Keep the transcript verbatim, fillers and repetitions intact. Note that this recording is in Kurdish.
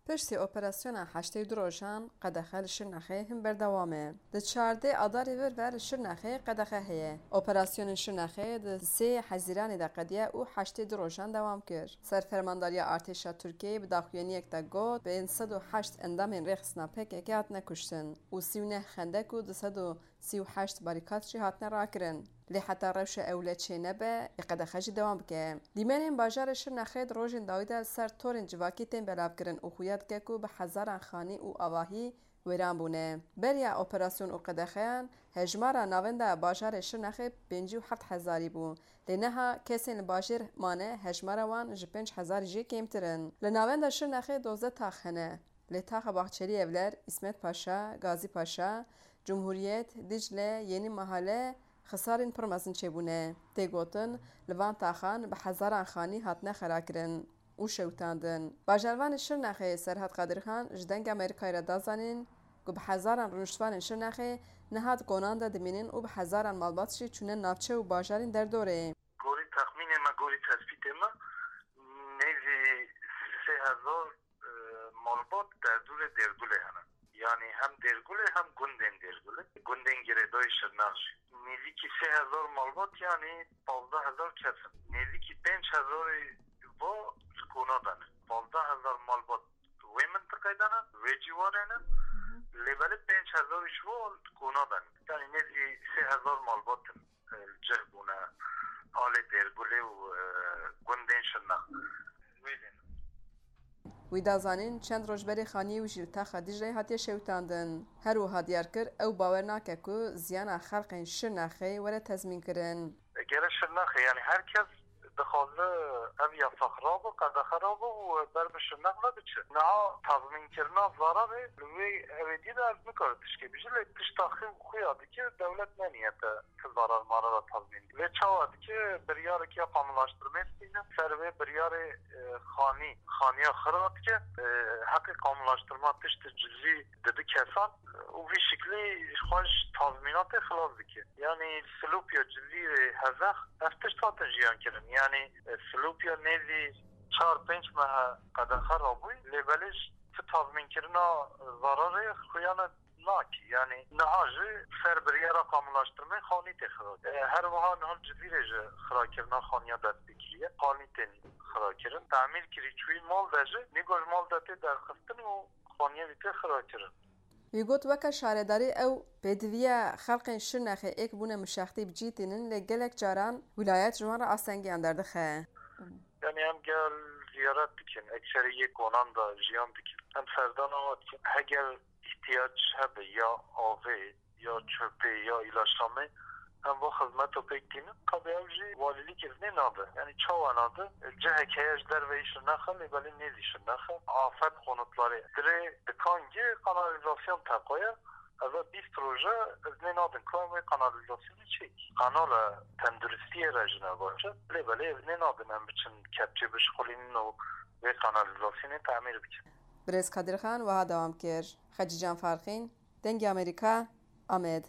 Piştî operasyona heştê du rojan qedexe li Şirnexê hin berdewam e. Di çardê Adarê vir ve li Şirnexê qedexe heye. Operasyonên Şirnexê di sê Hezîranê de qediye û heştê du rojan dewam kir. Serfermandariya Artêşa Tirkiyeyê bi daxuyaniyek de got, pênc sed û heşt endamên rêxistina P K K hatine kuştin û sî û neh xendek û du sed û sî û heşt barîkat jî hatine rakirin. Lê heta rewşa ewle çênebe, ê qedexe jî dewam bike. Dîmenên bajarê Şirnexê di rojên dawî de li ser torên civakî tên belavkirin û xuya dike ku bi hezaran xanî û avahî wêran bûne. Beriya operasyon û qedexeyan hejmara navenda bajarê Şirnexê pêncî û heft hezarî bû. Lê niha kesên li bajêr mane hejmara wan ji pênc hezarî jî kêmtir in. Li navenda Şirnexê dozdeh tax hene. Lê taxa Bahçeli Evler, Îsmet Paşa, Gazî Paşa, Cumhuriyet, Dicle, Yeni Mahalle xisarên pir mezin çêbûne. Tê gotin, li van taxan bi hezaran xanî hatine xerakirin û şewitandin. Bajarvanê Şirnexê Serhat Qadirxan ji Dengê Amerîkayê re da zanîn ku bi hezaran rûniştvanên Şirnexê niha di konan de dimînin û bi hezaran malbat jî çûne navçe û bajarên derdorê. Gorî texmînê me, gorî tespîtê me, nêzî sê hezar, e, malbat derdorê Dêrgulê hene. Yanî hem Dêrgulê hem gundên Dêrgulê. Gundên girêdayî Şirnex jî. Nêzîkî sê hezar malbat, yanî pazdeh hezar kes in. Nêzîkî pênc hezarî va li kona de ne. Pazdeh hezar malbat wê mintiqê de ne, wê cîwarê ne. Lê belê pênc hezarî ji wan di kona de ne. Yanî nêzî sê hezar malbat in, e, li cih bûne alê Dêrgulê û, e, gundên Şirnex. Wê lê ne. Wî da zanîn, çend roj berê xaniyê wî jî li taxa Dîcleyê hatiye şewitandin. Her wiha diyar kir, ew bawer nake ku ziyana xelqên Şirnexê were tezmînkirin. Gere Şirnexê, yanî her kes dixwaze ev yasax rabe, qedexe rabe û ber bi Şirnex ve biçe. Niha tazmînkirina zararê li wê hewêdî de ez nikare tişkê bijî, lê tişta xwe xuya dike, dewlet ne niyete ti zarar marara tazmîn dike. Lê çawa dike, biryareke ya kamulaştirmê dibîne, ser vê biryarê, e, xanî, xaniya xira dike, e, heqê kamulaştirma tiştê cilî didi kesan, e, û vî şiklî xwe ji tazmînatê xilas dike. Yanî silopya cilî, e, hezex, ev tişt hatin jiyan kirin. Yanî, e, silopya nêzî çar pênc mehe qedexe rabûyî, lê belê ji ti tazmînkirina zararê xuyana nakî. Yanî niha jî ser biryara kamulaştirmê xanî tê xira. E, her wiha niha li Cizîrê jî xirakirina xaniya dest pê kiriye. Xanî tên xirakirin. Temîr kirî çûyî mal de jî, nîgo ji mal de tê derxistin û xaniye wî tê xirakirin. Wî got, weke şaredarî ew pêdiviya xelqên Şirnexê êk bûne mişextî bi cî tînin, lê gelek caran wîlayet ji wan re astengiyan derdixe. Yanî em gel ziyaret dikin, ekserî yê konan de jiyan dikin. Em serdana wan dikin. Heger îhtiyac hebe ya avê, ya çöpê, ya îlaçnamê, em va xizmeto pêk tînin. Qebê ew jî walîlîk iznê nade. Yanî çawa nade? Cihek heye ji derveyî Şirnexe, lê belê nêzî Şirnexe. Afet konutları. Dirê dikan yê kanalîzasyon teqoye. Eve bîst roj e, iznê nadin ku em wê kanalîzasyonê çêk. Kanala tenduristiyê re jî ne baş e. Lê belê iznê nadin em biçin kepçê bişixulînin û wê kanalîzasyonê temîr bikin. Birêz Kadirxan wiha dewam kir, Xecîcan Farqîn, Dengê Amerîka, Amed.